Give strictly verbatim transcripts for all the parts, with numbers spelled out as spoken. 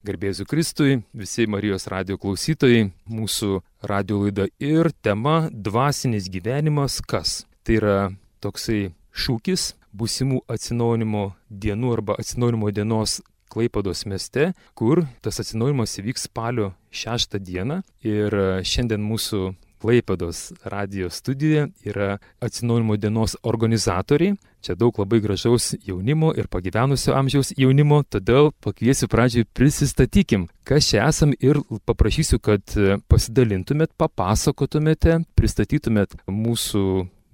Garbėsiu Kristui, visi Marijos radijo klausytojai, mūsų radijo laida ir tema dvasinis gyvenimas kas? Tai yra toksai šūkis būsimų atsinaujinimo dienų arba atsinaujinimo dienos Klaipėdos mieste, kur tas atsinaujinimas įvyks spalio šeštą dieną. Ir šiandien mūsų Klaipėdos radijo studijoje yra atsinaujinimo dienos organizatoriai. Čia daug labai gražaus jaunimo ir pagyvenusio amžiaus jaunimo, todėl pakviesiu pradžiai prisistatykim, kas čia esam ir paprašysiu, kad pasidalintumėt, papasakotumėte, pristatytumėt mūsų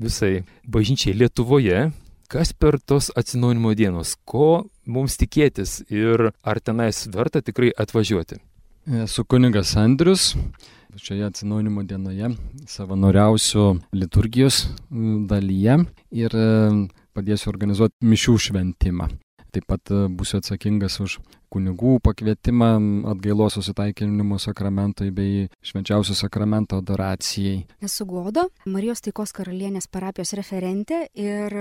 visai bažnyčiai Lietuvoje, kas per tos atsinaujinimo dienos, ko mums tikėtis ir ar tenais verta tikrai atvažiuoti. Esu kunigas Andrius. Šioje atsinaujinimo dienoje savanoriausiu liturgijos dalyje ir padėsiu organizuoti mišių šventimą. Taip pat būsiu atsakingas už kunigų pakvietimą atgailos susitaikinimo sakramentui bei švenčiausio sakramento adoracijai. Esu Goda, Marijos taikos karalienės parapijos referentė ir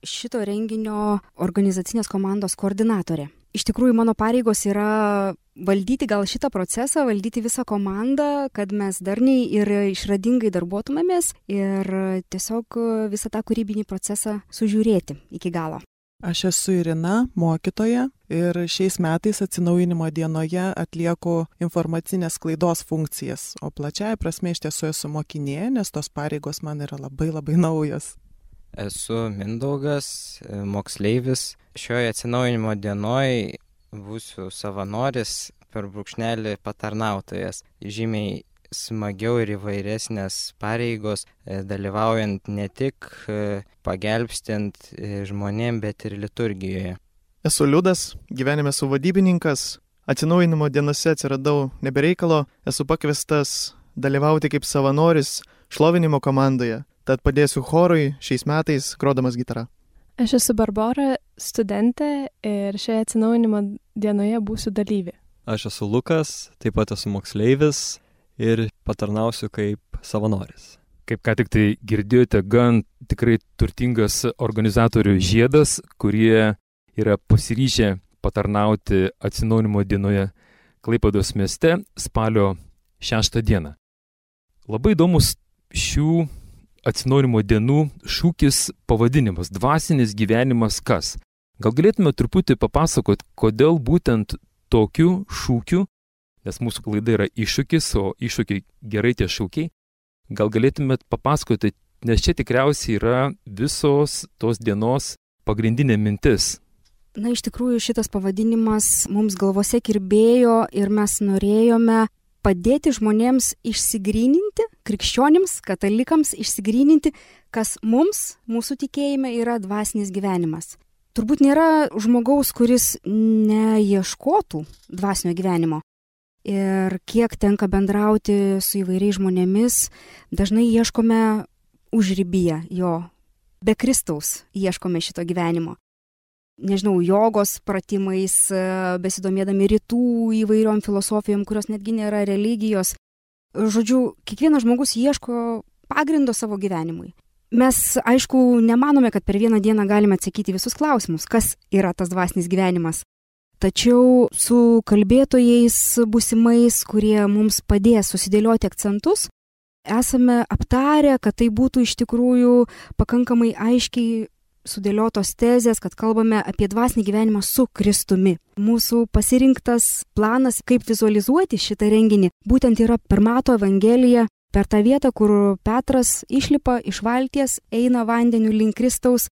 šito renginio organizacinės komandos koordinatorė. Iš tikrųjų, mano pareigos yra valdyti gal šitą procesą, valdyti visą komandą, kad mes darniai ir išradingai darbuotumėmės ir tiesiog visą tą kūrybinį procesą sužiūrėti iki galo. Aš esu Irina, mokytoja, ir šiais metais atsinaujinimo dienoje atlieku informacinės sklaidos funkcijas, o plačiaja prasme iš tiesų esu mokinė, nes tos pareigos man yra labai labai naujos. Esu Mindaugas, moksleivis. Šioje atsinaujinimo dienoje būsiu savanoris, per brūkšnelį patarnautojas. Žymiai smagiau ir įvairesnės pareigos, dalyvaujant ne tik pagelbstint žmonėm, bet ir liturgijoje. Esu Liudas, gyvenime esu vadybininkas. Atsinaujinimo dienose atsiradau nebereikalo, esu pakviestas dalyvauti kaip savanoris šlovinimo komandoje. Tad padėsiu chorui šiais metais grodamas gitarą. Aš esu Barbora, studentė ir šioje atsinaujinimo dienoje būsiu dalyvė. Aš esu Lukas, taip pat esu moksleivis ir patarnausiu kaip savanoris. Kaip ką tik tai girdėjote, gan tikrai turtingas organizatorių žiedas, kurie yra pasiryžę patarnauti atsinaujinimo dienoje Klaipėdos mieste spalio šeštą dieną. Labai įdomus šių atsinaujinimo dienų šūkis pavadinimas – dvasinis gyvenimas kas? Gal galėtume truputį papasakoti, kodėl būtent tokiu šūkiu, nes mūsų klaida yra iššūkis, o iššūkiai gerai tie šūkiai, gal galėtumėt papasakoti, nes čia tikriausiai yra visos tos dienos pagrindinė mintis. Na, iš tikrųjų šitas pavadinimas mums galvose kirbėjo ir mes norėjome padėti žmonėms išsigryninti, krikščionims, katalikams išsigryninti, kas mums, mūsų tikėjime, yra dvasinis gyvenimas. Turbūt nėra žmogaus, kuris neieškotų dvasinio gyvenimo. Ir kiek tenka bendrauti su įvairiais žmonėmis, dažnai ieškome užribyje jo. Be Kristaus ieškome šito gyvenimo. Nežinau, jogos pratimais, besidomėdami rytų įvairiom filosofijom, kurios netgi nėra religijos. Žodžiu, kiekvienas žmogus ieško pagrindo savo gyvenimui. Mes, aišku, nemanome, kad per vieną dieną galime atsakyti visus klausimus, kas yra tas dvasinis gyvenimas. Tačiau su kalbėtojais būsimais, kurie mums padės susidėlioti akcentus, esame aptarę, kad tai būtų iš tikrųjų pakankamai aiškiai sudėliotos tezės, kad kalbame apie dvasinį gyvenimą su Kristumi. Mūsų pasirinktas planas, kaip vizualizuoti šitą renginį, būtent yra per Mato Evangeliją, per tą vietą, kur Petras išlipa iš valties, eina vandeniu link Kristaus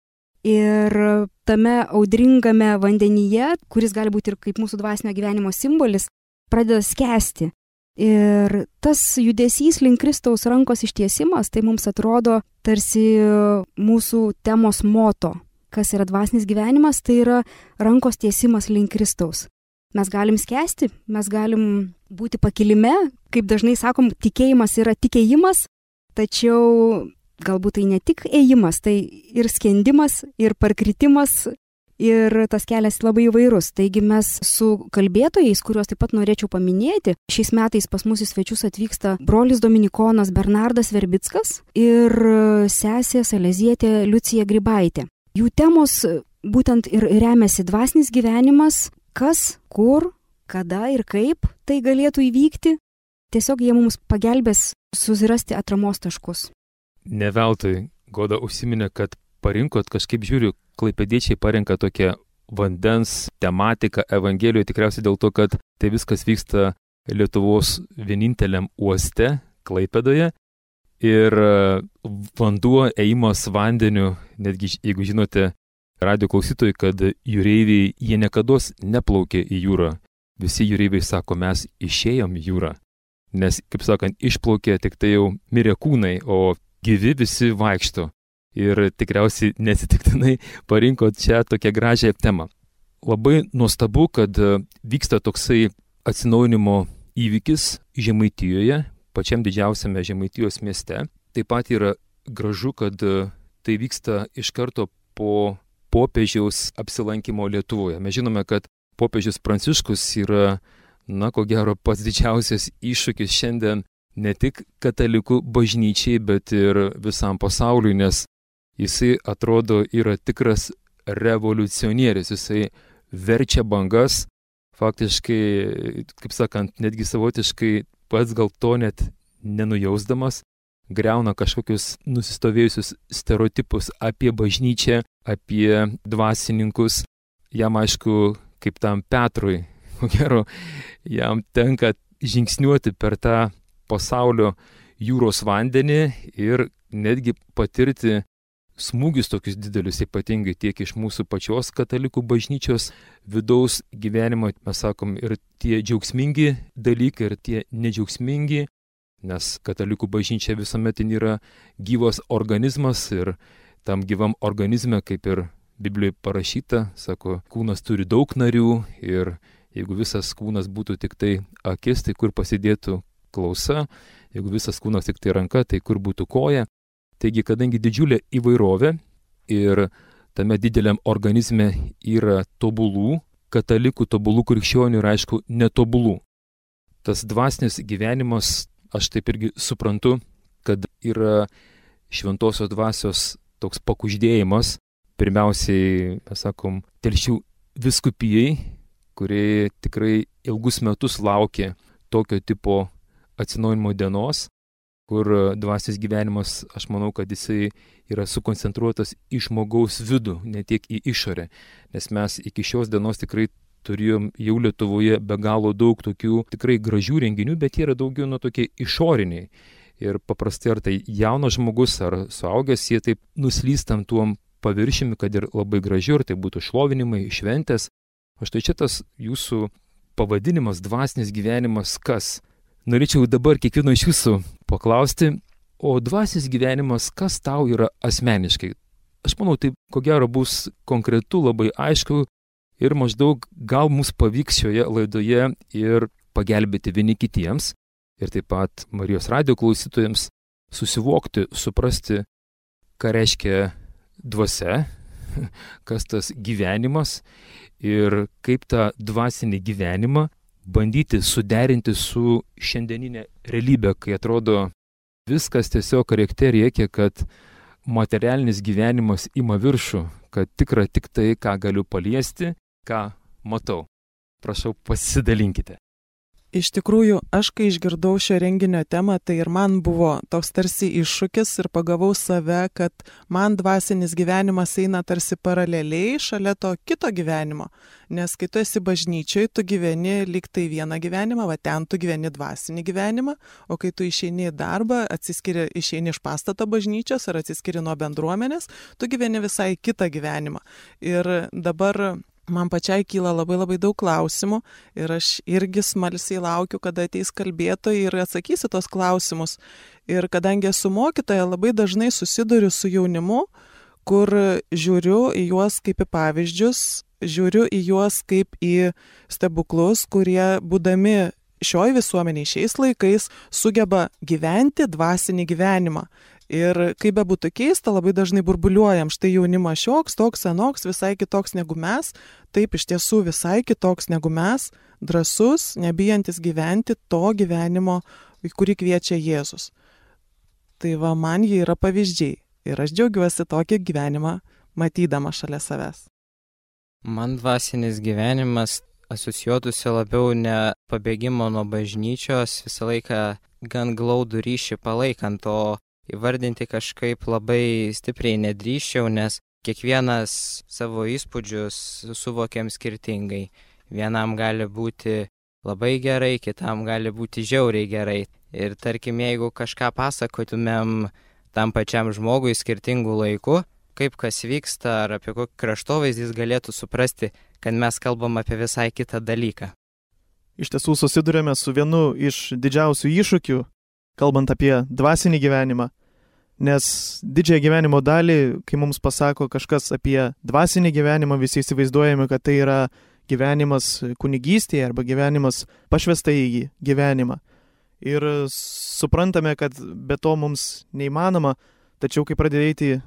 ir tame audringame vandenyje, kuris gali būti ir kaip mūsų dvasinio gyvenimo simbolis, pradeda skęsti. Ir tas judesys link Kristaus rankos ištiesimas, tai mums atrodo tarsi mūsų temos moto. Kas yra dvasinis gyvenimas, tai yra rankos tiesimas link Kristaus. Mes galim skęsti, mes galim būti pakilime, kaip dažnai sakom, tikėjimas yra tikėjimas, tačiau galbūt tai ne tik ėjimas, tai ir skendimas, ir parkritimas, ir tas kelias labai įvairus. Taigi mes su kalbėtojais, kuriuos taip pat norėčiau paminėti, šiais metais pas mus į svečius atvyksta brolis dominikonas Bernardas Verbickas ir sesė salezietė Liucija Grybaitė. Jų temos būtent ir remiasi dvasinis gyvenimas, kas, kur, kada ir kaip tai galėtų įvykti. Tiesiog jie mums pagelbės susirasti atramos taškus. Ne veltui Goda užsiminė, kad parinkot, kažkaip žiūriu, klaipėdiečiai parinka tokią vandens tematiką Evangelijoje, tikriausiai dėl to, kad tai viskas vyksta Lietuvos vieninteliam uoste, Klaipėdoje. Ir vanduo, ėjimas vandeniu, netgi jeigu žinote, radio klausytojai, kad jūreiviai, jie niekados neplaukė į jūrą. Visi jūreiviai sako, mes išėjom į jūrą. Nes, kaip sakant, išplaukė tik tai jau mirė kūnai, o gyvi visi vaikšto. Ir tikriausiai nesitiktinai parinkot čia tokią gražią temą. Labai nuostabu, kad vyksta toksai atsinaujinimo įvykis Žemaitijoje, pačiam didžiausiame Žemaitijos mieste. Taip pat yra gražu, kad tai vyksta iš karto po popiežiaus apsilankimo Lietuvoje. Mes žinome, kad popiežius Pranciškus yra, na, ko gero, pats didžiausias iššūkis šiandien ne tik katalikų bažnyčiai, bet ir visam pasauliui, nes jisai atrodo yra tikras revoliucionierius, jisai verčia bangas, faktiškai, kaip sakant, netgi savotiškai pats gal to net nenujausdamas, greuna kažkokius nusistovėjusius stereotipus apie bažnyčią, apie dvasininkus. Jam aišku, kaip tam Petrui, ko gero, jam tenka žingsniuoti per tą pasaulio jūros vandenį ir netgi patirti smūgius tokius didelius, ypatingai tiek iš mūsų pačios katalikų bažnyčios vidaus gyvenimo, mes sakom, ir tie džiaugsmingi dalykai, ir tie nedžiaugsmingi, nes katalikų bažnyčia visuomet yra gyvas organizmas ir tam gyvam organizme, kaip ir Biblijoje parašyta, sako, kūnas turi daug narių ir jeigu visas kūnas būtų tik tai akis, tai kur pasidėtų klausa, jeigu visas kūnas tik tai ranka, tai kur būtų koja. Taigi, kadangi didžiulė įvairovė ir tame dideliam organizme yra tobulų katalikų, tobulų krikščionių ir aišku netobulų. Tas dvasinis gyvenimas, aš taip irgi suprantu, kad yra šventosios dvasios toks pakuždėjimas, pirmiausiai, mes sakom, Telšių vyskupijai, kurie tikrai ilgus metus laukė tokio tipo atsinaujinimo dienos, kur dvasinis gyvenimas, aš manau, kad jisai yra sukoncentruotas į žmogaus vidų, ne tiek į išorę. Nes mes iki šios dienos tikrai turėjom jau Lietuvoje be galo daug tokių tikrai gražių renginių, bet jie yra daugiau nuo tokie išoriniai. Ir paprastai ar tai jaunas žmogus, ar suaugęs, jie taip nuslystam tuom paviršimi, kad ir labai gražiu, ar tai būtų šlovinimai, šventės. O štai čia tas jūsų pavadinimas, dvasinis gyvenimas, kas? Norėčiau dabar kiekvieno iš jūsų paklausti, o dvasinis gyvenimas, kas tau yra asmeniškai? Aš manau, tai ko gero bus konkretu, labai aišku ir maždaug gal mums pavyks šioje laidoje ir pagelbėti vieni kitiems ir taip pat Marijos radijo klausytojams susivokti, suprasti, ką reiškia dvasia, kas tas gyvenimas ir kaip tą dvasinį gyvenimą bandyti suderinti su šiandieninė realybė, kai atrodo viskas tiesiog rėkte rėkia, kad materialinis gyvenimas ima viršų, kad tikra tik tai, ką galiu paliesti, ką matau. Prašau, pasidalinkite. Iš tikrųjų, aš kai išgirdau šio renginio temą, tai ir man buvo toks tarsi iššūkis ir pagavau save, kad man dvasinis gyvenimas eina tarsi paraleliai šalia to kito gyvenimo. Nes kai tu esi bažnyčioj, tu gyveni lyg tai vieną gyvenimą, va ten tu gyveni dvasinį gyvenimą, o kai tu išeini į darbą, atsiskiri, išeini iš pastato bažnyčios ar atsiskiri nuo bendruomenės, tu gyveni visai kitą gyvenimą. Ir dabar man pačiai kyla labai labai daug klausimų ir aš irgi smalsiai laukiu, kada ateis kalbėtojai ir atsakysi tos klausimus. Ir kadangi esu mokytoja, labai dažnai susiduriu su jaunimu, kur žiūriu į juos kaip į pavyzdžius, žiūriu į juos kaip į stebuklus, kurie būdami šioj visuomeniai šiais laikais sugeba gyventi dvasinį gyvenimą. Ir kaip be būtų keista, labai dažnai burbuliuojam, štai jaunimas šioks, toks, anoks, visai kitoks negu mes, taip iš tiesų visai kitoks negu mes, drąsus, nebijantis gyventi to gyvenimo, kurį kviečia Jėzus. Tai va, man jie yra pavyzdžiai ir aš džiaugiuosi tokį gyvenimą matydama šalia savęs. Man dvasinis gyvenimas asocijuotųsi labiau ne pabėgimo nuo bažnyčios, visą laiką gan glaudų ryšį palaikant, o įvardinti kažkaip labai stipriai nedrįščiau, nes kiekvienas savo įspūdžius suvokiam skirtingai. Vienam gali būti labai gerai, kitam gali būti žiauriai gerai. Ir tarkim, jeigu kažką pasakotumėm tam pačiam žmogui skirtingų laikų, kaip kas vyksta ar apie kokį kraštovaizdį jis galėtų suprasti, kad mes kalbam apie visai kitą dalyką. Iš tiesų susidurėme su vienu iš didžiausių iššūkių, kalbant apie dvasinį gyvenimą, nes didžiąją gyvenimo dalį, kai mums pasako kažkas apie dvasinį gyvenimą, visi įsivaizduojame, kad tai yra gyvenimas kunigystėje arba gyvenimas pašvestą į gyvenimą. Ir suprantame, kad be to mums neįmanoma, tačiau kai pradėjai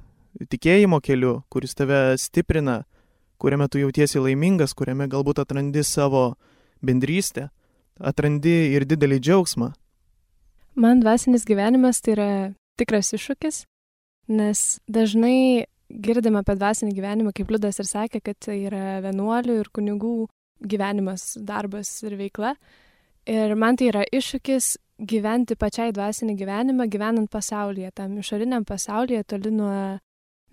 tikėjimo keliu, kuris tave stiprina, kuriame tu jautiesi laimingas, kuriame galbūt atrandi savo bendrystę, atrandi ir didelį džiaugsmą. Man dvasinis gyvenimas tai yra tikras iššūkis, nes dažnai girdime apie dvasinį gyvenimą, kaip Liudas ir sakė, kad tai yra vienuolių ir kunigų gyvenimas, darbas ir veikla. Ir man tai yra iššūkis gyventi pačiai dvasinį gyvenimą, gyvenant pasaulyje, tam išoriniam pasaulyje, toli nuo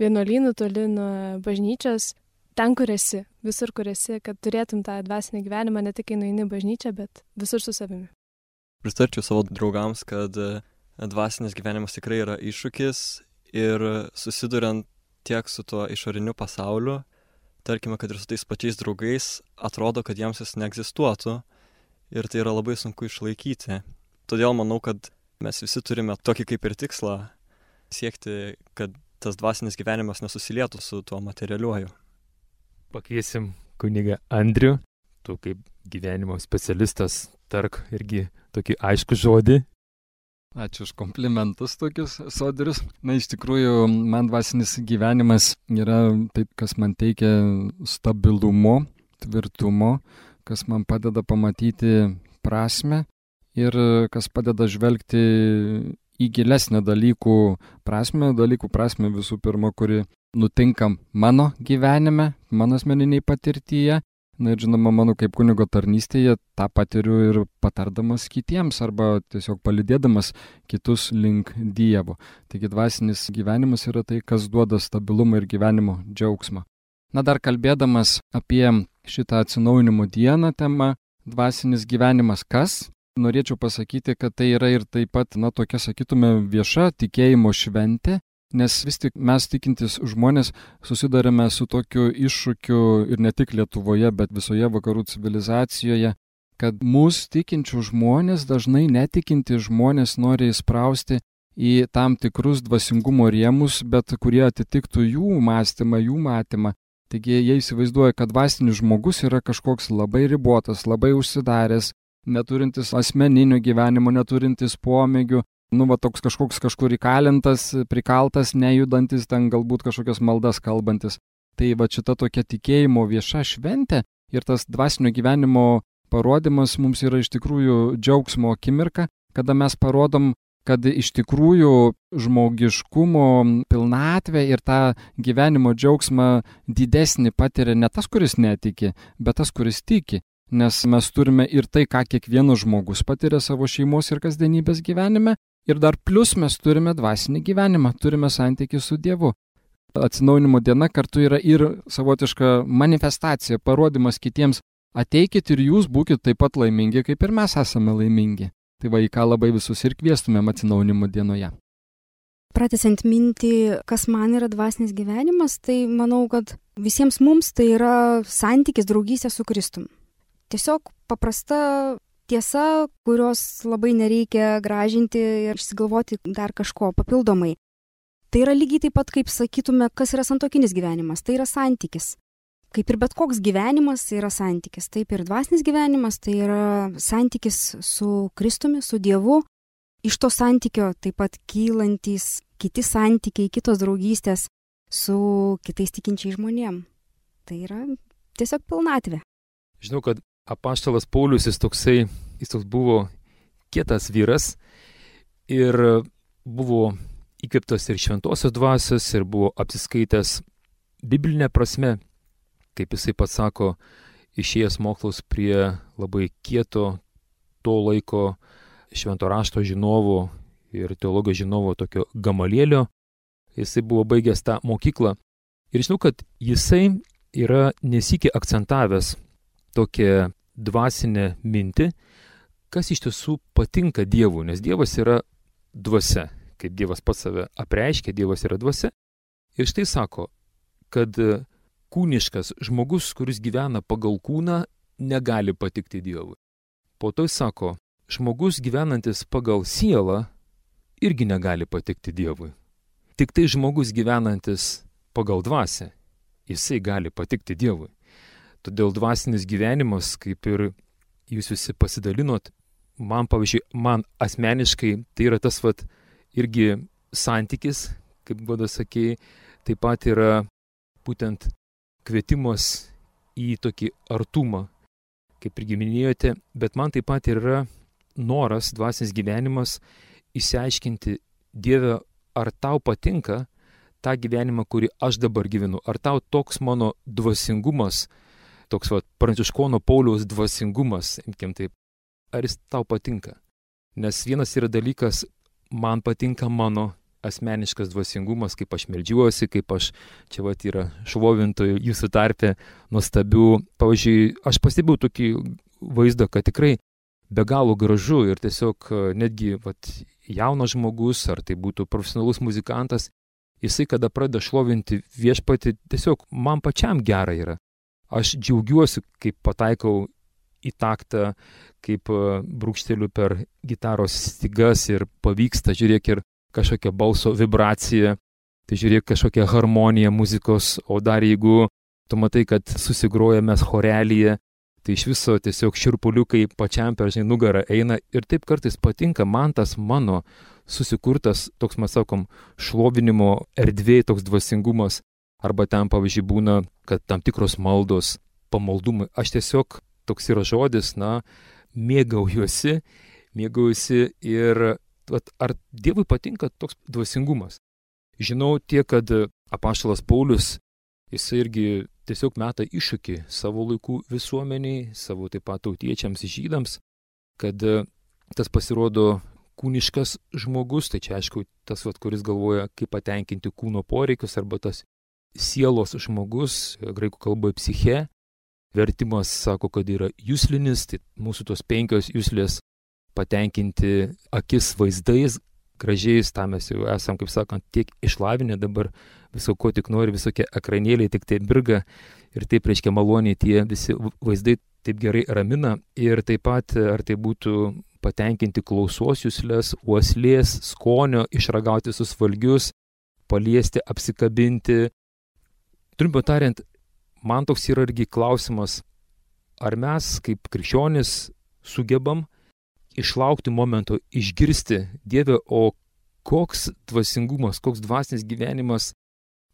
vienuolynų, toli nuo bažnyčios, ten, kur esi, visur, kur esi, kad turėtum tą dvasinį gyvenimą, ne tik kai nueini į bažnyčią, bet visur su savimi. Pritarčiau savo draugams, kad dvasinis gyvenimas tikrai yra iššūkis ir susiduriant tiek su tuo išoriniu pasauliu, tarkime, kad ir su tais pačiais draugais, atrodo, kad jiems jis neegzistuotų ir tai yra labai sunku išlaikyti. Todėl manau, kad mes visi turime tokį kaip ir tikslą siekti, kad tas dvasinis gyvenimas nesusilietų su tuo materialiuoju. Pakviesim kunigą Andrių, tu kaip gyvenimo specialistas tark irgi tokį aiškų žodį. Ačiū už komplimentus tokius sodrius. Na, iš tikrųjų, man dvasinis gyvenimas yra taip, kas man teikia stabilumo, tvirtumo, kas man padeda pamatyti prasmę ir kas padeda žvelgti į gilesnę dalykų prasmę, dalykų prasmę visų pirma, kuri nutinka mano gyvenime, mano asmeniniai patirtyje. Na ir žinoma, mano kaip kunigo tarnystėje tą patiriu ir patardamas kitiems arba tiesiog palydėdamas kitus link Dievo. Taigi dvasinis gyvenimas yra tai, kas duoda stabilumą ir gyvenimo džiaugsmą. Na dar kalbėdamas apie šitą atsinaujinimo dieną temą, dvasinis gyvenimas kas? Norėčiau pasakyti, kad tai yra ir taip pat, na, tokia, sakytume, vieša tikėjimo šventė, nes vis tik mes tikintis žmonės susidarėme su tokiu iššūkiu ir ne tik Lietuvoje, bet visoje vakarų civilizacijoje, kad mūsų tikinčių žmonės, dažnai netikinti žmonės nori įsprausti į tam tikrus dvasingumo rėmus, bet kurie atitiktų jų mąstymą, jų matymą. Taigi jie įsivaizduoja, kad dvasinis žmogus yra kažkoks labai ribotas, labai užsidaręs, neturintis asmeninio gyvenimo, neturintis pomėgių, nu, va, toks kažkoks kažkur įkalintas, prikaltas, nejudantis, ten galbūt kažkokias maldas kalbantis. Tai va šita tokia tikėjimo vieša šventė ir tas dvasinio gyvenimo parodimas mums yra iš tikrųjų džiaugsmo akimirka, kada mes parodom, kad iš tikrųjų žmogiškumo pilnatvę ir tą gyvenimo džiaugsmą didesnį patiria ne tas, kuris netiki, bet tas, kuris tiki. Nes mes turime ir tai, ką kiekvienas žmogus patiria savo šeimos ir kasdienybės gyvenime, ir dar plus mes turime dvasinį gyvenimą, turime santykį su Dievu. Atsinaujinimo diena kartu yra ir savotiška manifestacija, parodimas kitiems, ateikit ir jūs būkit taip pat laimingi, kaip ir mes esame laimingi. Tai va, į ką labai visus ir kviestumėm atsinaujinimo dienoje. Pratęsiant mintį, kas man yra dvasinis gyvenimas, tai manau, kad visiems mums tai yra santykis, draugystė su Kristumi. Tiesiog paprasta tiesa, kurios labai nereikia gražinti ir išsigalvoti dar kažko papildomai. Tai yra lygiai taip pat, kaip sakytume, kas yra santuokinis gyvenimas, tai yra santykis. Kaip ir bet koks gyvenimas, tai yra santykis. Taip ir dvasinis gyvenimas, tai yra santykis su Kristumi, su Dievu. Iš to santykio taip pat kylantys kiti santykiai, kitos draugystės su kitais tikinčiais žmonėm. Tai yra tiesiog pilnatvė. Žinau, kad apaštalas Paulius, jis toksai, jis toks buvo kietas vyras ir buvo įkvėptas ir šventosios dvasios ir buvo apsiskaitęs biblinė prasme, kaip jisai pats sako, išėjęs mokslas prie labai kieto to laiko švento rašto žinovo ir teologijos žinovo tokio Gamalielio. Jisai buvo baigęs tą mokyklą. Ir žinau, kad jisai yra nesikį akcentavęs tokią dvasinę mintį, kas iš tiesų patinka Dievui, nes Dievas yra dvasia. Kaip Dievas pats save apreiškia, Dievas yra dvasia. Ir štai sako, kad kūniškas žmogus, kuris gyvena pagal kūną, negali patikti Dievui. Po to jis sako, žmogus gyvenantis pagal sielą irgi negali patikti Dievui. Tik tai žmogus gyvenantis pagal dvasią, jisai gali patikti Dievui. Todėl dvasinis gyvenimas, kaip ir jūs visi pasidalinot, man, pavyzdžiui, man asmeniškai tai yra tas vat irgi santykis, kaip Goda sakė, taip pat yra būtent kvietimas į tokį artumą, kaip irgi minėjote, bet man taip pat yra noras, dvasinis gyvenimas, išsiaiškinti, Dieve, ar tau patinka tą gyvenimą, kurį aš dabar gyvenu, ar tau toks mano dvasingumas, toks va, Pranciškono Pauliaus dvasingumas, imkim taip, ar jis tau patinka. Nes vienas yra dalykas, man patinka mano asmeniškas dvasingumas, kaip aš meldžiuosi, kaip aš, čia va yra šlovintojų jūsų tarpe nuostabių. Pavyzdžiui, aš pastebėjau tokį vaizdą, kad tikrai be galo gražu ir tiesiog netgi vat, jaunas žmogus, ar tai būtų profesionalus muzikantas, jisai kada pradeda šlovinti viešpatį, tiesiog man pačiam gera yra. Aš džiaugiuosi, kaip pataikau į taktą, kaip brūkšteliu per gitaros stygas ir pavyksta, žiūrėk, ir kažkokia balso vibracija, tai žiūrėk kažkokia harmonija muzikos, o dar jeigu tu matai, kad susigroja mes chorelyje, tai iš viso tiesiog širpuliukai pačiam per žinai nugarą eina ir taip kartais patinka man tas mano susikurtas, toks mes sakom, šlovinimo erdvėj, toks dvasingumas, arba ten pavyzdžiui būna, kad tam tikros maldos, pamaldumai, aš tiesiog, toks yra žodis, na, mėgaujuosi, mėgaujuosi ir vat, ar Dievui patinka toks dvasingumas. Žinau tiek, kad apaštalas Paulius, jisai irgi tiesiog meta iššūkį savo laikų visuomeniai, savo taip pat tautiečiams, žydams, kad tas pasirodo kūniškas žmogus, tai čia aišku tas, vat, kuris galvoja, kaip patenkinti kūno poreikius, arba tas sielos žmogus, graikų kalboje psiche, vertimas sako, kad yra juslinis, tai mūsų tos penkios juslės patenkinti akis vaizdais, gražiais, tą mes jau esam, kaip sakant, tiek išlavinę dabar viso ko tik nori, visokie ekranėliai tik taip birga ir taip reiškia maloniai tie visi vaizdai taip gerai ramina ir taip pat, ar tai būtų patenkinti klausos juslės, uoslės, skonio, išragauti visus valgius, paliesti, apsikabinti. Trumpiau tariant, man toks yra irgi klausimas, ar mes kaip krikščionys sugebam išlaukti momento, išgirsti, Dieve, o koks dvasingumas, koks dvasinis gyvenimas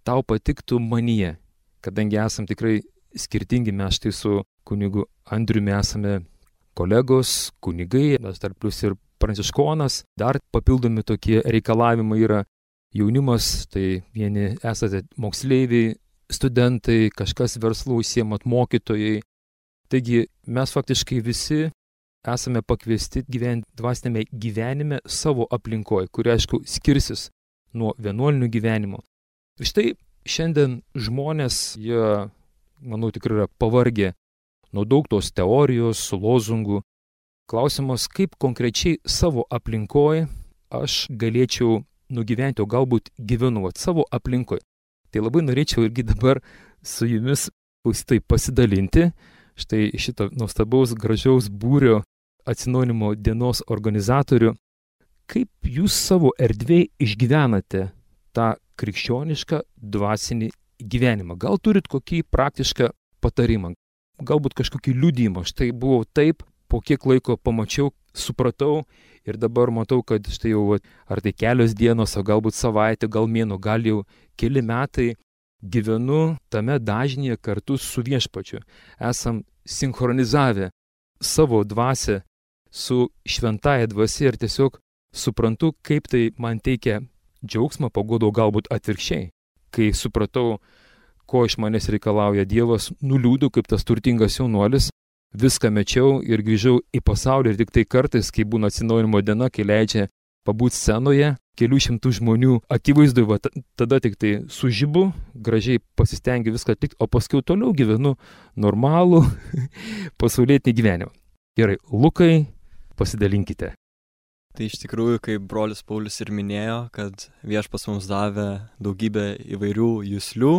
tau patiktų manyje, kadangi esam tikrai skirtingi, mes štai su kunigu Andriumi esame kolegos, kunigai, mes tarp plius ir pranciškonas, dar papildomi tokie reikalavimai yra jaunimas, tai vieni esate moksleiviai, studentai, kažkas verslu užsiemat mokytojai. Taigi mes faktiškai visi esame pakviesti gyventi dvasinėme gyvenime savo aplinkoje, kuri aišku skirsis nuo vienuolinių gyvenimo. Ir štai šiandien žmonės, jie, manau, tikrai yra pavargę nuo daug tos teorijos, lozungų. Klausimas, kaip konkrečiai savo aplinkoje aš galėčiau nugyventi, o galbūt gyvenu savo aplinkoje. Tai labai norėčiau irgi dabar su jumis klausytojai pasidalinti štai šito nuostabaus, gražiaus būrio atsinaujinimo dienos organizatorių, kaip jūs savo erdvėj išgyvenate tą krikščionišką dvasinį gyvenimą. Gal turit kokį praktišką patarimą, galbūt kažkokį liudijimą. Štai buvau taip, po kiek laiko pamačiau, supratau ir dabar matau, kad štai jau ar tai kelios dienos, o galbūt savaitė, gal mėnuo, gal jau keli metai gyvenu tame dažnyje kartu su viešpačiu. Esam sinchronizavę savo dvasią su šventąja dvasia ir tiesiog suprantu, kaip tai man teikia džiaugsmą, paguodo galbūt atvirkščiai. Kai supratau, ko iš manęs reikalauja Dievas, nuliūdau kaip tas turtingas jaunuolis, viską mečiau ir grįžau į pasaulį ir tik tai kartais, kai būna atsinaujinimo diena, kai leidžia pabūti scenoje, kelių šimtų žmonių akivaizdu, va, tada tik tai sužibu, gražiai pasistengiu viską atlikti, o paskui toliau gyvenu normalų pasaulietinį gyvenimą. Gerai, Lukai, pasidalinkite. Tai iš tikrųjų, kaip brolis Paulius ir minėjo, kad Viešpats mums davė daugybę įvairių juslių,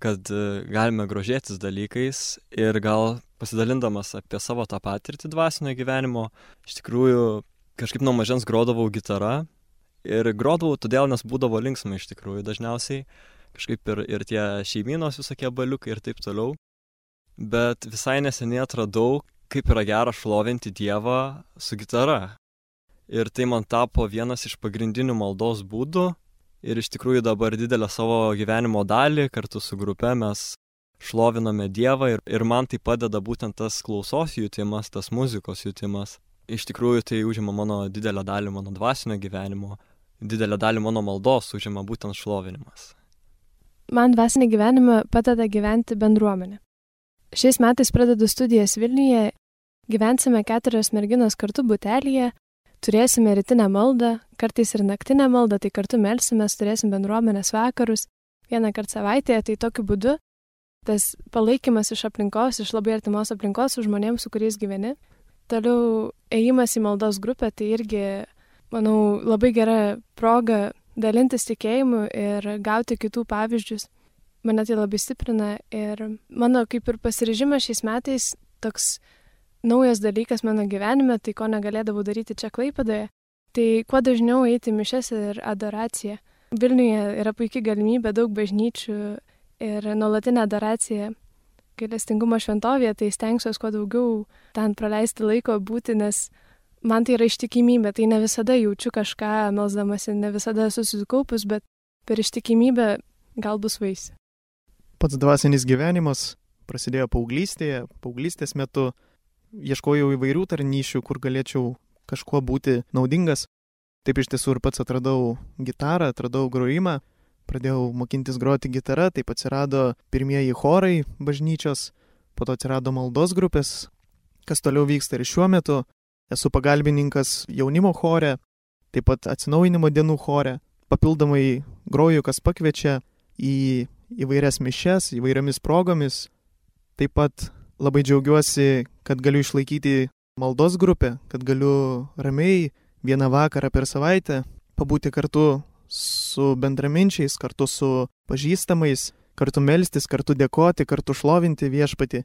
kad galime grožėtis dalykais ir gal pasidalindamas apie savo tą patirtį dvasinio gyvenimo, iš tikrųjų kažkaip nuo mažens grodavau gitarą ir grodavau todėl, nes būdavo linksma iš tikrųjų dažniausiai, kažkaip ir, ir tie šeimynos visokie baliukai ir taip toliau, bet visai neseniai atradau, kaip yra gera šlovinti Dievą su gitara. Ir tai man tapo vienas iš pagrindinių maldos būdų ir iš tikrųjų dabar didelę savo gyvenimo dalį kartu su grupe mes šloviname Dievą ir, ir man tai padeda būtent tas klausos jutimas, tas muzikos jutimas. Iš tikrųjų tai užima mano didelę dalį mano dvasinio gyvenimo, didelę dalį mano maldos užima būtent šlovinimas. Man dvasinį gyvenimą padeda gyventi bendruomenė. Šiais metais pradedu studijas Vilniuje, gyvensime keturios merginos kartu butelyje, turėsime rytinę maldą, kartais ir naktinę maldą, tai kartu melsimės, turėsim bendruomenės vakarus vieną kartą savaitėje, tai tokiu būdu tas palaikymas iš aplinkos, iš labai artimos aplinkos su žmonėms, su kuriais gyveni. Toliau ėjimas į maldos grupę, tai irgi, manau, labai gera proga dalintis tikėjimu ir gauti kitų pavyzdžius. Mane tai labai stiprina ir mano kaip ir pasiryžimas šiais metais toks naujas dalykas mano gyvenime, tai ko negalėdavau daryti čia Klaipėdoje, tai kuo dažniau eiti mišias ir adoraciją. Vilniuje yra puikia galimybė, daug bažnyčių ir nuolatinė adoracija gailestingumo šventovėje, tai stengsiuos kuo daugiau ten praleisti laiko būti, nes man tai yra ištikimybė, tai ne visada jaučiu kažką melsdamasi, ne visada esu susikaupus, bet per ištikimybę gal bus vaisių. Pats dvasinis gyvenimas prasidėjo paauglystėje, paauglystės metu. Ieškojau įvairių tarnyšių, kur galėčiau kažkuo būti naudingas. Taip iš tiesų ir pats atradau gitarą, atradau grojimą, pradėjau mokintis groti gitarą, taip atsirado pirmieji chorai bažnyčios, po to atsirado maldos grupės, kas toliau vyksta ir šiuo metu. Esu pagalbininkas jaunimo chore, taip pat atsinaujinimo dienų chore, papildomai groju, kas pakviečia į įvairias mišias, įvairiomis progomis, taip pat labai džiaugiuosi, kad galiu išlaikyti maldos grupę, kad galiu ramiai vieną vakarą per savaitę pabūti kartu su bendraminčiais, kartu su pažįstamais, kartu melstis, kartu dėkoti, kartu šlovinti Viešpatį.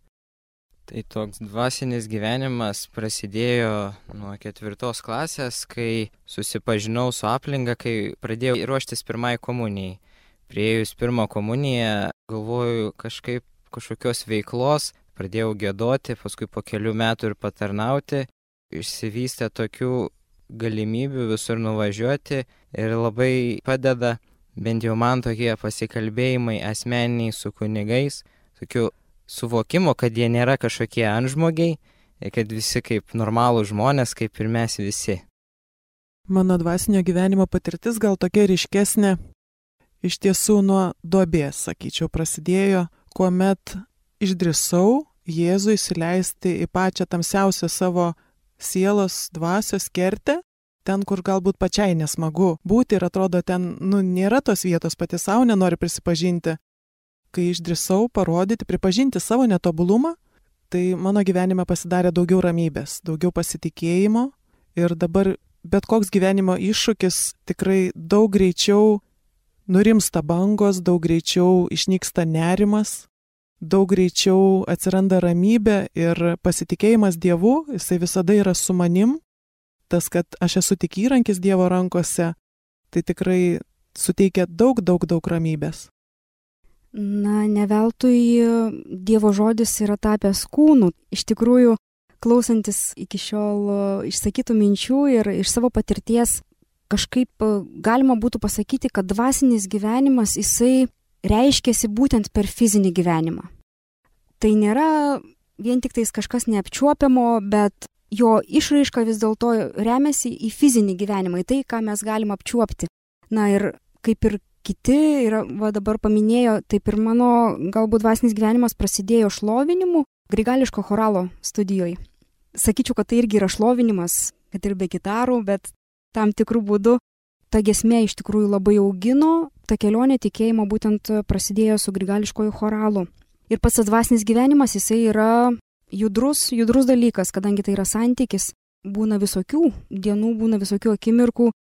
Tai toks dvasinis gyvenimas prasidėjo nuo ketvirtos klasės, kai susipažinau su aplinka, kai pradėjau ruoštis pirmai komunijai. Priėjus pirmą komuniją galvoju kažkaip kažkokios veiklos, pradėjau giedoti, paskui po kelių metų ir patarnauti, išsivystė tokių galimybių visur nuvažiuoti ir labai padeda, bent jau man tokie pasikalbėjimai asmeniniai su kunigais, tokių suvokimo, kad jie nėra kažkokie antžmogiai ir kad visi kaip normalų žmonės, kaip ir mes visi. Mano dvasinio gyvenimo patirtis gal tokia ryškesnė, iš tiesų nuo duobės, sakyčiau, prasidėjo, kuomet išdrįsau Jėzų įsileisti į pačią tamsiausią savo sielos dvasios kertę, ten, kur galbūt pačiai nesmagu būti ir atrodo ten, nu, nėra tos vietos, pati savo nenori prisipažinti. Kai išdrįsau parodyti, pripažinti savo netobulumą, tai mano gyvenime pasidarė daugiau ramybės, daugiau pasitikėjimo ir dabar bet koks gyvenimo iššūkis tikrai daug greičiau nurimsta bangos, daug greičiau išnyksta nerimas, daug greičiau atsiranda ramybė ir pasitikėjimas Dievu, jisai visada yra su manim. Tas, kad aš esu tik įrankis Dievo rankose, tai tikrai suteikia daug, daug, daug ramybės. Na, ne veltui Dievo žodis yra tapęs kūnu. Iš tikrųjų, klausantis iki šiol išsakytų minčių ir iš savo patirties, kažkaip galima būtų pasakyti, kad dvasinis gyvenimas, jisai reiškiasi būtent per fizinį gyvenimą. Tai nėra vien tik tais kažkas neapčiuopiamo, bet jo išraiška vis dėlto remiasi į fizinį gyvenimą, į tai, ką mes galim apčiuopti. Na ir kaip ir kiti ir va, dabar paminėjo, taip ir mano galbūt dvasinis gyvenimas prasidėjo šlovinimu grigališko choralo studijoje. Sakyčiau, kad tai irgi yra šlovinimas, kad ir be gitarų, bet tam tikrų būdų ta giesmė iš tikrųjų labai augino, ta kelionė tikėjimo būtent prasidėjo su grigališkoju choralu. Ir pats dvasinis gyvenimas, jisai yra judrus, judrus dalykas, kadangi tai yra santykis. Būna visokių dienų, būna visokių akimirkų,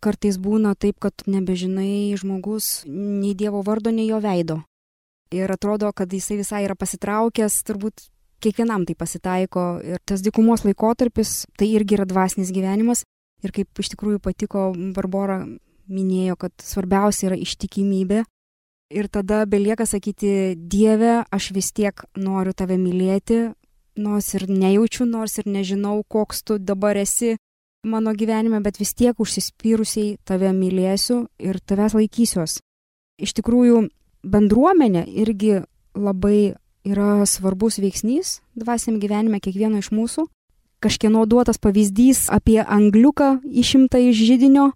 kartais būna taip, kad nebežinai žmogus nei Dievo vardo, nei jo veido. Ir atrodo, kad jisai visai yra pasitraukęs, turbūt kiekvienam tai pasitaiko. Ir tas dykumos laikotarpis, tai irgi yra dvasinis gyvenimas. Ir kaip iš tikrųjų patiko, Barbora minėjo, kad svarbiausia yra ištikimybė. Ir tada belieka sakyti, Dieve, aš vis tiek noriu tave mylėti, nors ir nejaučiu, nors ir nežinau, koks tu dabar esi mano gyvenime, bet vis tiek užsispyrusiai tave mylėsiu ir tavęs laikysiuos. Iš tikrųjų, bendruomenė irgi labai yra svarbus veiksnys dvasiniam gyvenime kiekvieno iš mūsų. Kažkieno duotas pavyzdys apie angliuką išimtą iš židinio,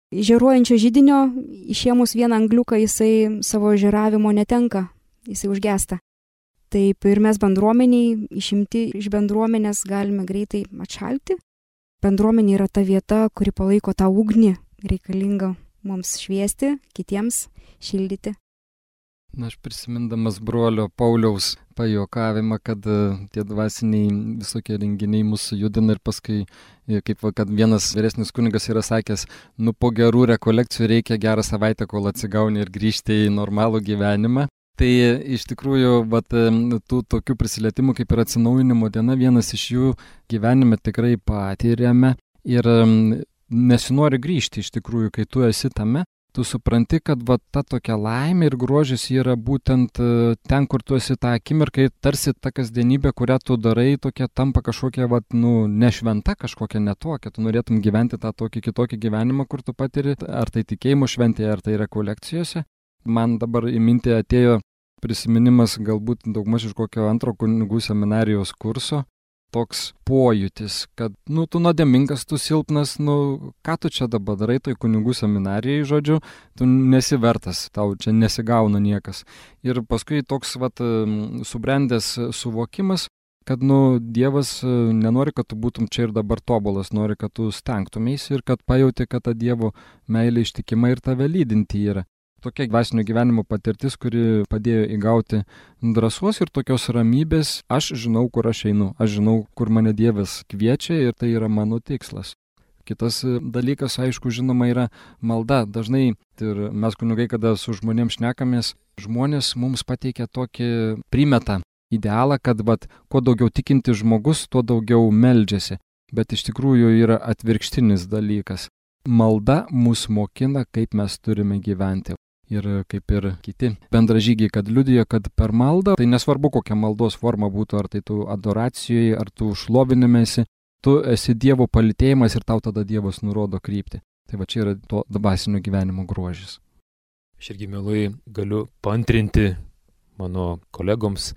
žėruojančio židinio, išėmus vieną angliuką jisai savo žėravimo netenka, jisai užgesta. Taip ir mes bendruomeniai, išimti iš bendruomenės galime greitai atšalti. Bendruomenė yra ta vieta, kuri palaiko tą ugnį, reikalingą mums šviesti, kitiems šildyti. Na, aš prisimindamas brolio Pauliaus pajuokavimą, kad tie dvasiniai visokie renginiai mūsų judina ir paskui, kaip kad vienas vyresnis kunigas yra sakęs, nu po gerų rekolekcijų reikia gerą savaitę, kol atsigauni ir grįžti į normalų gyvenimą. Tai iš tikrųjų, vat, tų tokių prisilietimų kaip ir atsinaujinimo diena, vienas iš jų gyvenime tikrai patyrėme ir nesinori grįžti iš tikrųjų, kai tu esi tame. Tu supranti, kad va, ta tokia laimė ir grožis yra būtent ten, kur tu esi tą akimirką, tarsi ta kasdienybė, kurią tu darai, tokia tampa kažkokia, va, nu, nešventa, kažkokia netokia. Tu norėtum gyventi tą tokį kitokį gyvenimą, kur tu patiri, ar tai tikėjimo šventėje, ar tai rekolekcijose. Man dabar į mintį atėjo prisiminimas galbūt daugmaž iš kokio antro kunigų seminarijos kurso. Toks pojūtis, kad, nu, tu nuodėmingas, tu silpnas, nu, ką tu čia dabar darai toj kunigų seminarijai, žodžiu, tu nesivertas, tau čia nesigauna niekas. Ir paskui toks, vat, subrendęs suvokimas, kad, nu, Dievas nenori, kad tu būtum čia ir dabar tobulas, nori, kad tu stengtumėsi ir kad pajauti, kad ta Dievo meilė ištikima ir tave lydinti yra. Tokia dvasinio gyvenimo patirtis, kuri padėjo įgauti drąsos ir tokios ramybės. Aš žinau, kur aš einu, aš žinau, kur mane Dievas kviečia ir tai yra mano tikslas. Kitas dalykas, aišku, žinoma, yra malda. Dažnai ir mes kunigai, kada su žmonėms šnekamės, žmonės mums pateikia tokį primetą idealą, kad vat, kuo daugiau tikinti žmogus, tuo daugiau meldžiasi. Bet iš tikrųjų yra atvirkštinis dalykas. Malda mus mokina, kaip mes turime gyventi. Ir kaip ir kiti bendražygiai, kad liudija, kad per maldą, tai nesvarbu kokia maldos forma būtų, ar tai tu adoracijoje, ar tu šlovinimėsi, tu esi Dievo palytėjimas ir tau tada Dievas nurodo kryptį. Tai va čia yra to dvasinio gyvenimo grožis. Aš irgi mielai galiu paantrinti mano kolegoms,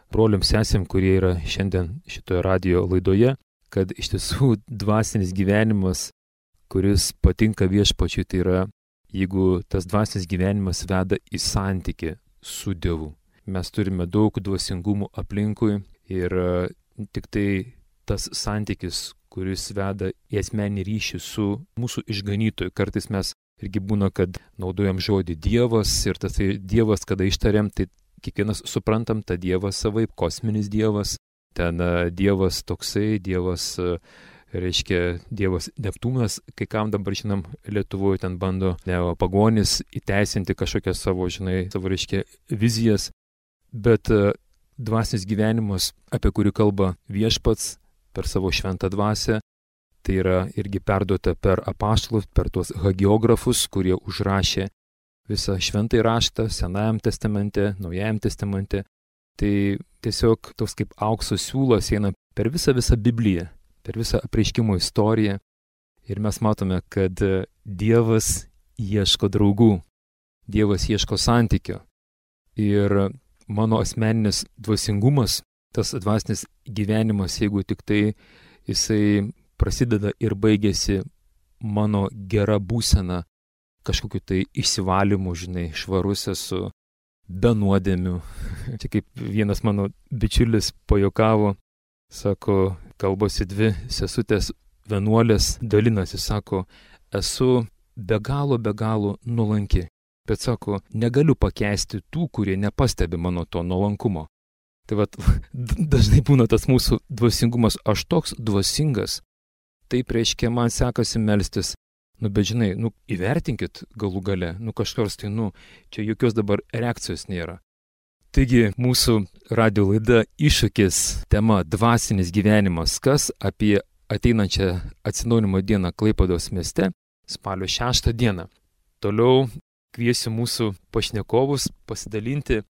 broliams, sesėm, kurie yra šiandien šitoje radio laidoje, kad iš tiesų dvasinis gyvenimas, kuris patinka Viešpačiui, tai yra jeigu tas dvasinis gyvenimas veda į santykį su Dievu. Mes turime daug dvasingumų aplinkui ir tik tai tas santykis, kuris veda į asmenį ryšį su mūsų išganytoju. Kartais mes irgi būna, kad naudojam žodį Dievas ir tas tai Dievas, kada ištariam, tai kiekvienas suprantam tą Dievą savaip, kosminis Dievas, ten Dievas toksai, Dievas reiškia Dievas Neptūnas, kai kam dabar, žinom, Lietuvoje ten bando pagonis įteisinti kažkokias savo, žinai, savo, reiškia, vizijas, bet dvasinis gyvenimas, apie kurį kalba Viešpats per savo šventą dvasią, tai yra irgi perduota per apaštalus, per tuos hagiografus, kurie užrašė visą šventąjį raštą Senajam testamente, Naujajam testamente. Tai tiesiog toks kaip aukso siūlas eina per visą visą Bibliją, per visą apreiškimo istoriją ir mes matome, kad Dievas ieško draugų, Dievas ieško santykio. Ir mano asmeninis dvasingumas, tas dvasinis gyvenimas, jeigu tik tai jisai prasideda ir baigėsi mano gera būsena kažkokiu tai išsivalymu, žinai, švarus esu, be nuodėmių. Čia kaip vienas mano bičiulis pajokavo, sako, kalbasi dvi sesutės vienuolės, dalinasi, sako, esu be galo, be galo nuolanki. Bet sako, negaliu pakęsti tų, kurie nepastebi mano to nuolankumo. Tai vat, dažnai būna tas mūsų dvasingumas, aš toks dvasingas, taip reiškia, man sekasi melstis. Nu, bet žinai, nu, įvertinkit galų gale, nu, kažkars tai, nu, čia jokios dabar reakcijos nėra. Taigi, mūsų radio laida Iššūkis, tema dvasinis gyvenimas, kas apie ateinančią atsinaujinimo dieną Klaipėdos mieste, spalio šeštą dieną. Toliau kviesiu mūsų pašnekovus pasidalinti,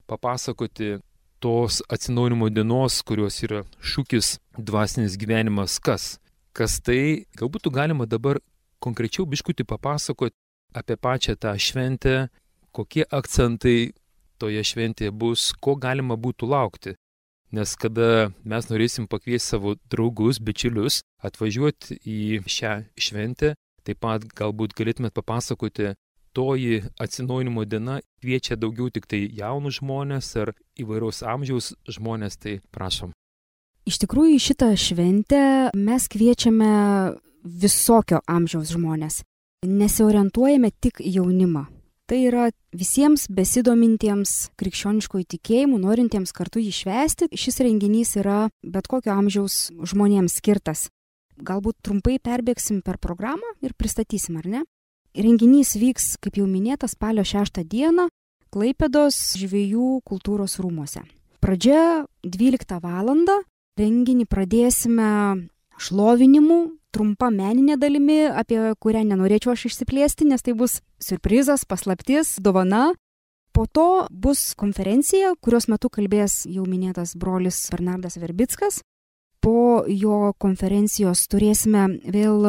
papasakoti tos atsinaujinimo dienos, kurios yra šūkis dvasinis gyvenimas, kas. Kas tai, galbūt galima dabar konkrečiau biškutį papasakoti apie pačią tą šventę, kokie akcentai toje šventėje bus, ko galima būtų laukti. Nes kada mes norėsim pakviesti savo draugus, bičiulius, atvažiuoti į šią šventę, taip pat galbūt galėtumėt papasakoti, toji atsinaujinimo diena kviečia daugiau tik tai jaunus žmonės ar įvairaus amžiaus žmonės, tai prašom. Iš tikrųjų, šitą šventę mes kviečiame visokio amžiaus žmonės. Nesiorientuojame tik jaunimą. Tai yra visiems besidomintiems krikščioniškojų tikėjimų, norintiems kartu jį švęsti. Šis renginys yra bet kokio amžiaus žmonėms skirtas. Galbūt trumpai perbėgsim per programą ir pristatysim, ar ne? Renginys vyks, kaip jau minėta, spalio šeštą dieną Klaipėdos žvejų kultūros rūmuose. Pradžia dvyliktą valandą. Renginį pradėsime šlovinimu, trumpa meninė dalimi, apie kurią nenorėčiau aš išsiplėsti, nes tai bus siurprizas, paslaptis, dovana. Po to bus konferencija, kurios metu kalbės jau minėtas brolis Bernardas Verbickas. Po jo konferencijos turėsime vėl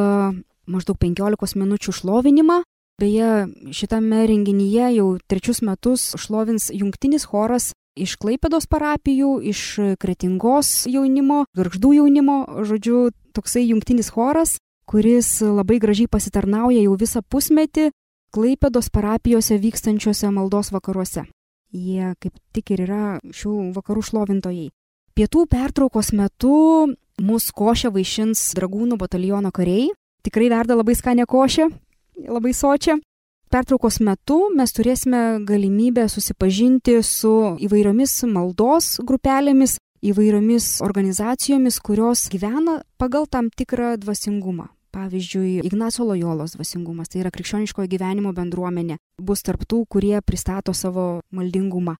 maždaug penkiolikos minučių šlovinimą. Beje, šitame renginyje jau trečius metus šlovins jungtinis choras iš Klaipėdos parapijų, iš Kretingos jaunimo, Gargždų jaunimo, žodžiu, toksai jungtinis choras, kuris labai gražiai pasitarnauja jau visą pusmetį Klaipėdos parapijose vykstančiuose maldos vakaruose. Jie kaip tik ir yra šių vakarų šlovintojai. Pietų pertraukos metu mus košę vaišins dragūnų bataliono kariai. Tikrai verda labai skanę košę, labai sočią. Pertraukos metu mes turėsime galimybę susipažinti su įvairiomis maldos grupelėmis, įvairiomis organizacijomis, kurios gyvena pagal tam tikrą dvasingumą. Pavyzdžiui, Ignaco Lojolos dvasingumas, tai yra krikščioniškojo gyvenimo bendruomenė, bus tarp tų, kurie pristato savo maldingumą.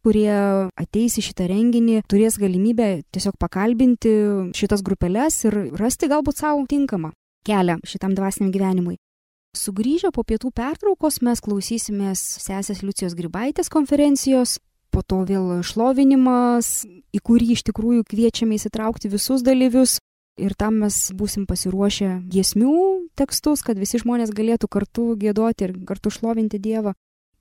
Kurie ateis į šitą renginį, turės galimybę tiesiog pakalbinti šitas grupeles ir rasti galbūt savo tinkamą kelią šitam dvasiniam gyvenimui. Sugrįžę po pietų pertraukos mes klausysimės sesės Liucijos Grybaitės konferencijos, po to vėl šlovinimas, į kurį iš tikrųjų kviečiame įsitraukti visus dalyvius ir tam mes būsim pasiruošę giesmių tekstus, kad visi žmonės galėtų kartu giedoti ir kartu šlovinti Dievą.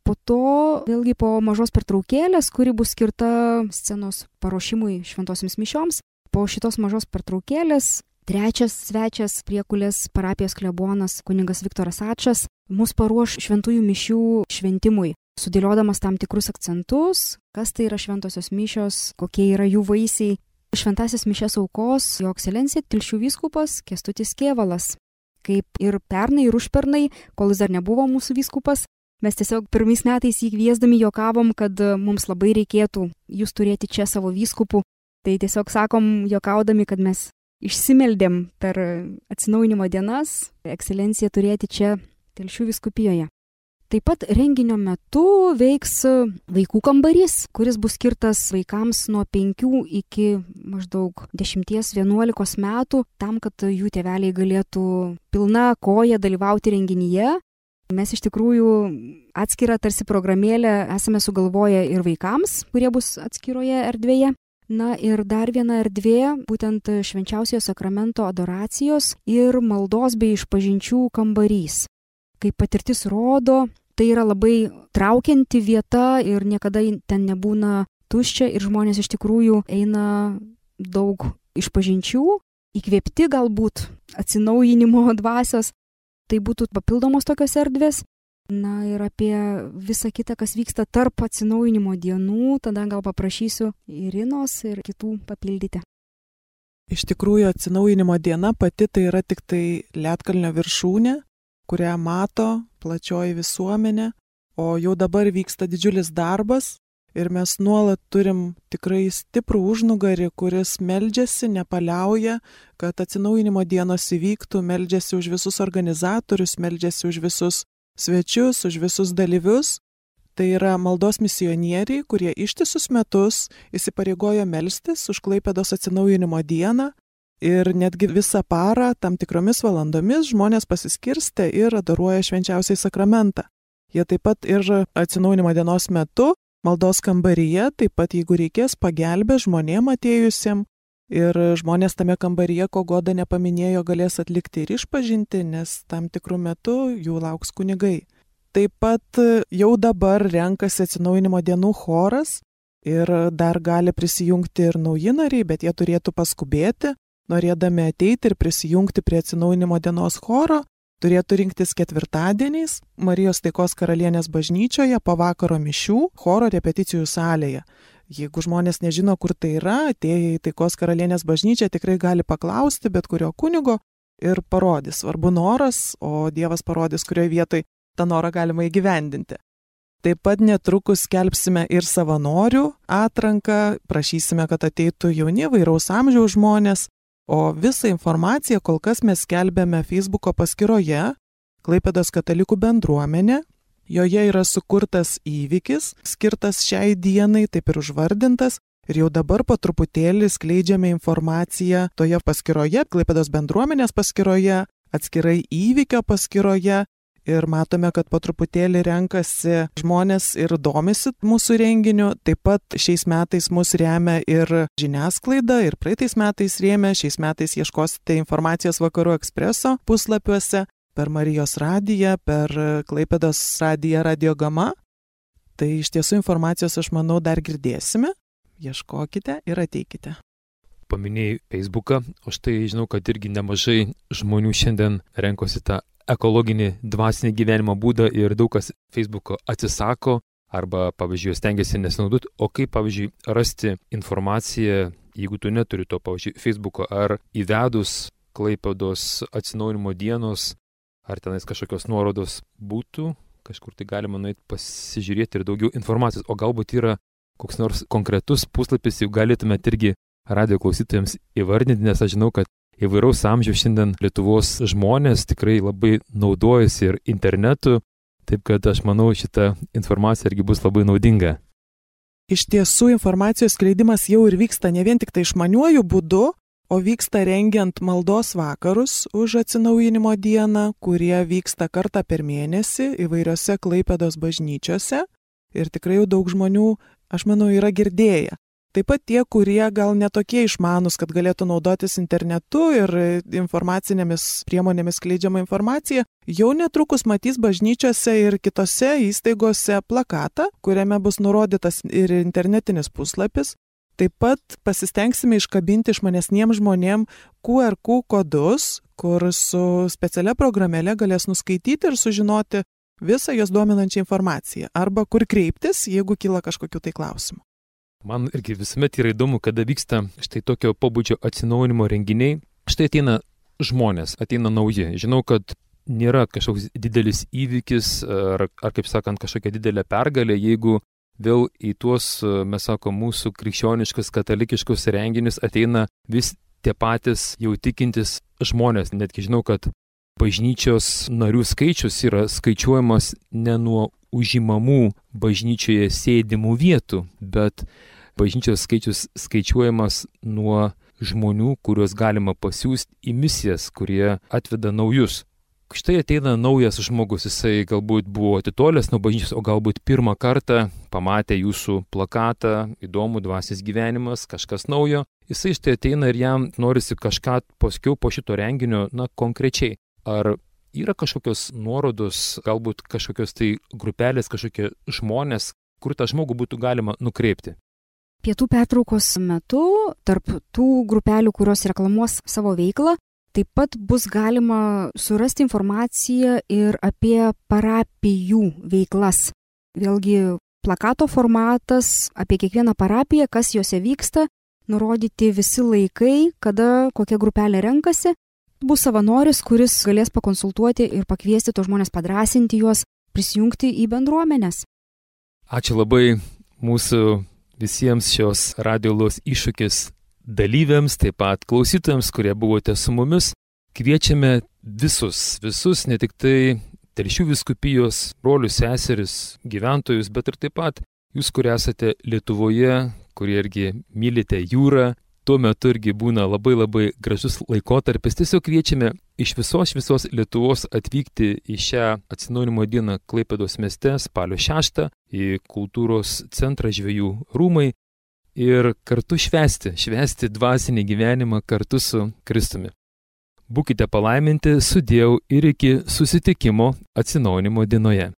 Po to vėlgi po mažos pertraukėlės, kuri bus skirta scenos paruošimui šventosioms mišioms, po šitos mažos pertraukėlės trečias svečias priekulės parapijos klebonas kunigas Viktoras Ačas mus paruoš šventųjų mišių šventimui, sudėliodamas tam tikrus akcentus, kas tai yra šventosios mišios, kokie yra jų vaisiai. Šventąsias mišias aukos jo ekscelencija Telšių vyskupas Kęstutis Kėvalas. Kaip ir pernai ir užpernai, kol jis dar nebuvo mūsų vyskupas, mes tiesiog pirmais metais jį kviesdami juokavom, kad mums labai reikėtų jūs turėti čia savo vyskupų. Tai tiesiog sakom juokaudami, kad mes išsimeldėm per atsinaujinimo dienas ekscelenciją turėti čia Telšių vyskupijoje. Taip pat renginio metu veiks vaikų kambarys, kuris bus skirtas vaikams nuo penkių iki maždaug dešimties vienuolikos metų, tam, kad jų tėveliai galėtų pilna koja dalyvauti renginyje. Mes iš tikrųjų atskirą tarsi programėlę esame sugalvoję ir vaikams, kurie bus atskiroje erdvėje. Na ir dar viena erdvė, būtent švenčiausiojo sakramento adoracijos ir maldos bei išpažinčių kambarys. Kaip patirtis rodo, tai yra labai traukianti vieta ir niekada ten nebūna tuščia ir žmonės iš tikrųjų eina daug išpažinčių, įkvėpti galbūt atsinaujinimo dvasios. Tai būtų papildomos tokios erdvės. Na ir apie visą kitą, kas vyksta tarp atsinaujinimo dienų, tada gal paprašysiu Irinos ir kitų papildyti. Iš tikrųjų, atsinaujinimo diena pati tai yra tik tai Lietkalnio viršūnė, kurią mato plačioji visuomenė, o jau dabar vyksta didžiulis darbas ir mes nuolat turim tikrai stiprų užnugarį, kuris meldžiasi, nepaliauja, kad atsinaujinimo dienos įvyktų, meldžiasi už visus organizatorius, meldžiasi už visus svečius, už visus dalyvius. Tai yra maldos misionieriai, kurie ištisus metus įsipareigojo melstis už Klaipėdos atsinaujinimo dieną ir netgi visą parą, tam tikromis valandomis žmonės pasiskirstė ir adoruoja švenčiausiai sakramentą. Jie taip pat ir atsinaujinimo dienos metu maldos kambaryje, taip pat jeigu reikės, pagelbė žmonėm atėjusiem ir žmonės tame kambaryje, ko Goda nepaminėjo, galės atlikti ir išpažinti, nes tam tikrų metų jų lauks kunigai. Taip pat jau dabar renkasi atsinaujinimo dienų choras ir dar gali prisijungti ir nauji nariai, bet jie turėtų paskubėti, norėdami ateiti ir prisijungti prie atsinaujinimo dienos choro, turėtų rinktis ketvirtadieniais Marijos Taikos Karalienės bažnyčioje po vakaro mišių choro repeticijų salėje. Jeigu žmonės nežino, kur tai yra, atėję į Taikos Karalienės bažnyčią tikrai gali paklausti bet kurio kunigo ir parodys. Svarbu noras, o Dievas parodys, kurioje vietoje tą norą galima įgyvendinti. Taip pat netrukus skelbsime ir savanorių atranką, prašysime, kad ateitų jauni vairaus amžiaus žmonės, o visą informaciją kol kas mes skelbėme Facebooko paskyroje Klaipėdos katalikų bendruomenė. Joje yra sukurtas įvykis, skirtas šiai dienai, taip ir užvardintas, ir jau dabar po truputėlį skleidžiame informaciją toje paskyroje, Klaipėdos bendruomenės paskyroje, atskirai įvykio paskyroje. Ir matome, kad po truputėlį renkasi žmonės ir domisi mūsų renginiu. Taip pat šiais metais mus remia ir žiniasklaida, ir praeitais metais rėmė. Šiais metais ieškosite informacijos Vakarų Ekspreso puslapiuose, per Marijos radiją, per Klaipėdos radiją Radio Gama. Tai iš tiesų informacijos, aš manau, dar girdėsime. Ieškokite ir ateikite. Paminėjai Facebooką, o štai žinau, kad irgi nemažai žmonių šiandien renkosi tą ekologinį dvasinį gyvenimo būdą ir daug kas Facebooko atsisako arba, pavyzdžiui, stengiasi nesinaudoti. O kaip, pavyzdžiui, rasti informaciją, jeigu tu neturi to, pavyzdžiui, Facebooko, ar įvedus Klaipėdos atsinaujinimo dienos, ar tenais kažkokios nuorodos būtų, kažkur tai galima nueiti pasižiūrėti ir daugiau informacijos. O galbūt yra koks nors konkretus puslapis, jau galėtumėte irgi radio klausytojams įvardinti, nes aš žinau, kad įvairaus amžiaus šiandien Lietuvos žmonės tikrai labai naudojasi ir internetu, taip kad aš manau, šita informacija irgi bus labai naudinga. Iš tiesų, informacijos skleidimas jau ir vyksta ne vien tik tai išmaniuoju būdu, o vyksta rengiant maldos vakarus už atsinaujinimo dieną, kurie vyksta kartą per mėnesį įvairiose Klaipėdos bažnyčiose ir tikrai jau daug žmonių, aš manau, yra girdėję. Taip pat tie, kurie gal netokie išmanus, kad galėtų naudotis internetu ir informacinėmis priemonėmis skleidžiama informacija, jau netrukus matys bažnyčiose ir kitose įstaigose plakatą, kuriame bus nurodytas ir internetinis puslapis. Taip pat pasistengsime iškabinti išmanesniems žmonėm Q R kodus, kur su specialia programėle galės nuskaityti ir sužinoti visą jos dominančią informaciją, arba kur kreiptis, jeigu kyla kažkokių tai klausimų. Man irgi visuomet yra įdomu, kada vyksta štai tokio pobūdžio atsinaujinimo renginiai. Štai ateina žmonės, ateina nauji. Žinau, kad nėra kažkoks didelis įvykis ar, ar kaip sakant, kažkokia didelė pergalė, jeigu vėl į tuos, mes sakom, mūsų krikščioniškus, katalikiškus renginius ateina vis tie patys jau tikintis žmonės. Netgi žinau, kad bažnyčios narių skaičius yra skaičiuojamas ne nuo užimamų bažnyčioje sėdimų vietų, bet bažnyčios skaičius skaičiuojamas nuo žmonių, kuriuos galima pasiųsti į misijas, kurie atveda naujus. Štai ateina naujas žmogus, jisai galbūt buvo atitolęs nuo bažnyčios, o galbūt pirmą kartą pamatė jūsų plakatą, įdomų dvasinis gyvenimas, kažkas naujo. Jisai štai ateina ir jam norisi kažką paskiau po šito renginio, na, konkrečiai. Ar yra kažkokios nuorodos, galbūt kažkokios tai grupelės, kažkokie žmonės, kur tą žmogų būtų galima nukreipti? Pietų pertraukos metu tarp tų grupelių, kurios reklamuos savo veiklą, Taip pat bus galima surasti informaciją ir apie parapijų veiklas. Vėlgi plakato formatas apie kiekvieną parapiją, kas juose vyksta, nurodyti visi laikai, kada kokia grupelė renkasi. Bus savanoris, kuris galės pakonsultuoti ir pakviesti tos žmonės, padrasinti juos, prisijungti į bendruomenės. Ačiū labai mūsų visiems šios radiolos iššūkis dalyviams, taip pat klausytojams, kurie buvote su mumis. Kviečiame visus, visus, ne tik tai Telšių vyskupijos brolius, seseris, gyventojus, bet ir taip pat jūs, kurie esate Lietuvoje, kurie irgi mylite jūrą. Tuo metu irgi būna labai labai gražus laikotarpis. Tiesiog kviečiame iš visos visos Lietuvos atvykti į šią atsinaujinimo dieną Klaipėdos mieste spalio šeštą į kultūros centrą Žvejų rūmai ir kartu švęsti, švęsti dvasinį gyvenimą kartu su Kristumi. Būkite palaiminti, sudiev ir iki susitikimo atsinaujinimo dienoje.